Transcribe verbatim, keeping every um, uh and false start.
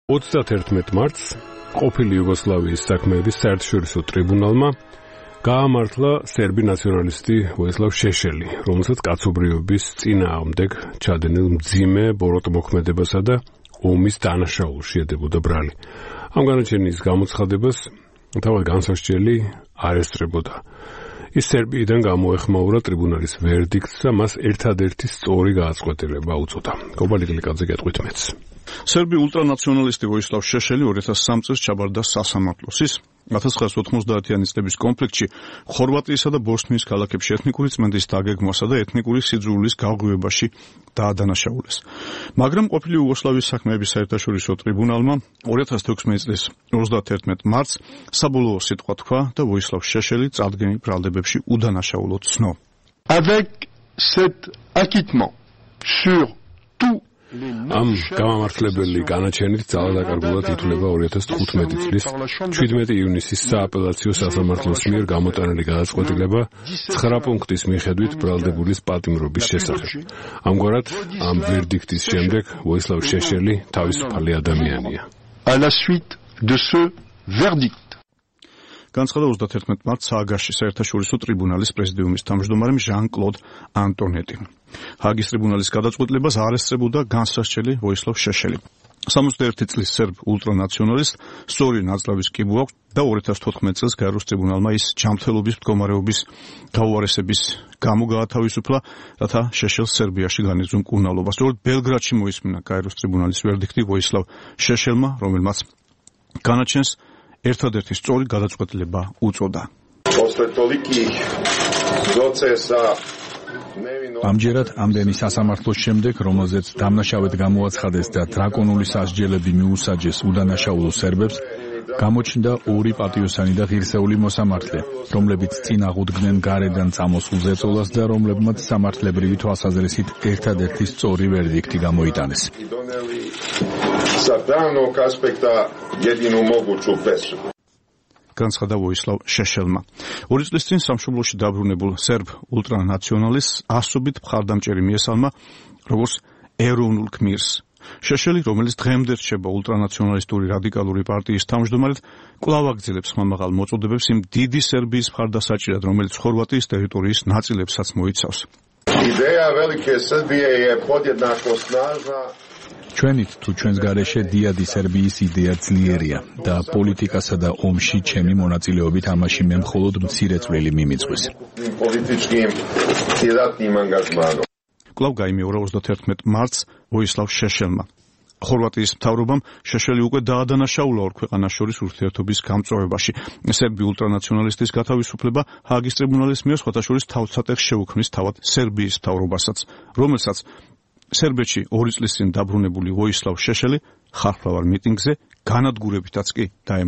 ოცდათერთმეტ მარტს ყოფილი იუგოსლავიის საქმეების საერთაშორისო ტრიბუნალმა გაამართლა სერბი ნაციონალისტი ვოისლავ შეშელი, რომელსაც კაცობრიობის წინააღმდეგ ჩადენილ მძიმე ბოროტმოქმედებასა და ომის დანაშაულში ედებოდა ბრალი. ამ განაჩენის გამოცხადებას თავად განსასჯელი არ ესწრებოდა. ის სერბიიდან გამოეხმაურა ტრიბუნალის ვერდიქტს და მას ერთადერთი სწორი გააწყვეტილება უწოდა. კობალი გლიკაძე გეტყვით მეც. სერბი ულტრანაციონალისტი ვოისლავ შეშელი ორი ათას სამ წელს ჩაბარდა სასამართლოს. ის ათას ცხრაასი ოთხმოცდაათიანი წლების კონფლიქტში ხორვატიისა და ბოსნიის ქალაქებში ეთნიკური წმენდის დაგეგმვასა და ეთნიკური სიძულვილის გაღვივებაში დაადანაშაულეს. მაგრამ ყოფილი იუგოსლავიის საქმეების საერთაშორისო ტრიბუნალმა ორი ათას თექვსმეტი წლის ოცდათერთმეტ მარტს საბოლოო სიტყვა თქვა და ვოისლავ შეშელი წარდგენილ ბრალდებებში უდანაშაულოდ ცნო. Avec cet acquittement sur tout ამ გამამართლებელი განაჩენით ძალადაკარგულად ითვლება ორი ათას თხუთმეტი წლის შვიდმეტი ივნისის სააპელაციო სასამართლოს მიერ გამოტანილი გადაწყვეტილება ცხრა პუნქტის მიხედვით ბრალდებულის პატიმრობის შესახებ. ამგვარად, ამ ვერდიქტის შემდეგ ვოისლავ შეშელი თავისუფალი ადამიანია. À la suite de ce verdict. განცხადა ოცდათერთმეტ მარტს ჰააგაში საერთაშორისო ტრიბუნალის პრეზიდიუმის თავმჯდომარემ ჟან-კლოდ ანტონეტი. ჰააგის ტრიბუნალის გადაწყვეტილებას არ ესწრებოდა განსასჯელი ვოისლავ შეშელი. სამოცდაერთი წლის სერბ ულტრანაციონალისტს სწორი ნაწლავის კიბო აქვს და ორი ათას თოთხმეტ წელს გაეროს ტრიბუნალმა ის ჯანმრთელობის მდგომარეობის გაუარესების გამო გაათავისუფლა, რათა შეშელს სერბიაში განეძღვნა მკურნალობა. სწორედ ბელგრადში მოისმინა გაეროს ტრიბუნალის ვერდიქტი ვოისლავ შეშელმა, რომელმაც განაჩენს ერთადერთი სწორი გადაწყვეტილება უწოდა. ამჯერად ამდენი სასამართლოს შემდეგ, რომელზეც დამნაშავედ გამოაცხადეს და დრაკონული სასჯელები მიუსაჯეს უდანაშაულო სერბებს, გამოჩნდა ორი პატიოსანი და ღირსეული მოსამართლე, რომლებიც წინ აღუდგნენ გარედან წამოსულ ზეწოლას და რომლებმაც სამართლებრივი თვალსაზრისით ერთადერთი სწორი ვერდიქტი გამოიტანეს. განცხადა ვოისლავ შეშელმა. ორი წლის წინ სამშობლოში დაბრუნებულ სერბ ულტრანაციონალისტს ასობით მხარდამჭერი მიესალმა როგორც ეროვნულ გმირს. შეშელი, რომელიც დღემდე რჩება ულტრანაციონალისტური რადიკალური პარტიის თავმჯდომარედ, კვლავ აგრძელებს ხმამაღალ მოწოდებებს იმ დიდი სერბიის მხარდასაჭირად, რომელიც ხორვატიის ტერიტორიის ნაწილებსაც მოიცავს. Ideja velike Srbije je podjednako snažna. ჩვენით თუ ჩვენს გარეშე დიადი სერბიის იდეა ძლიერია და პოლიტიკასა და ომში ჩემი მონაწილეობით ამაში მე მხოლოდ მცირე წვლილი მიმიწვის. კვლავ გაიმეორა ოცდათერთმეტ მარტს ვოისლავ შეშელმა. ხორვატიის მთავრობამ შეშელი უკვე დაადანაშაულა ორ ქვეყანას შორის ურთიერთობის გამწვავებაში. სერბი ულტრანაციონალისტის გათავისუფლება ჰააგის ტრიბუნალის მიერ სხვათა შორის თავსატეხს შეუქმნის თავად სერბიის მთავრობასაც, რომელსაც სერბეთში ორი წლის წინ დაბრუნებული ვოისლავ შეშელი ხალხმრავალ მიტინგზე განადგურებითაც კი დაემუქრა.